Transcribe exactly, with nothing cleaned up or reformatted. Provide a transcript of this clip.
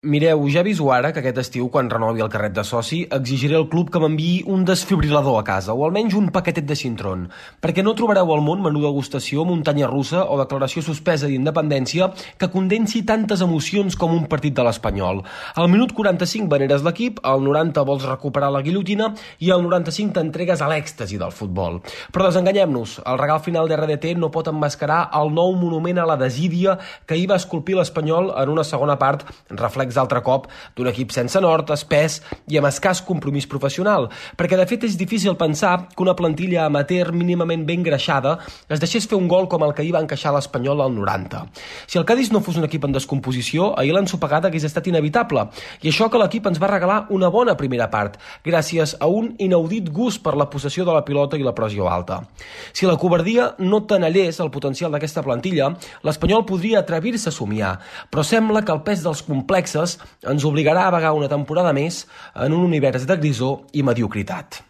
Mireu, ja aviso ara que aquest estiu, quan renovi el carnet de soci, exigiré al club que m'enviï un desfibrilador a casa, o almenys un paquetet de Sintron, perquè no trobareu al món menú degustació, muntanya russa o declaració suspesa d'independència que condensi tantes emocions com un partit de l'Espanyol. Al minut quaranta-cinc veneres l'equip, al noranta vols recuperar la guillotina i al noranta-cinc t'entregues a l'èxtasi del futbol. Però desenganyem-nos, el regal final d'R D T no pot emmascarar el nou monument a la desídia que ahir va esculpir l'Espanyol en una segona part, reflex d'altre cop d'un equip sense nord, espès i amb escàs compromís professional, perquè de fet és difícil pensar que una plantilla amateur mínimament ben greixada es deixés fer un gol com el que ahir va encaixar l'Espanyol al noranta. Si el Cádiz no fos un equip en descomposició, ahir l'ensopegada hagués estat inevitable, i això que l'equip ens va regalar una bona primera part, gràcies a un inaudit gust per la possessió de la pilota i la pressió alta. Si la covardia no tenallés el potencial d'aquesta plantilla, l'Espanyol podria atrevir-se a somiar, però sembla que el pes dels complexes ens obligarà a vagar una temporada més en un univers de grisor i mediocritat.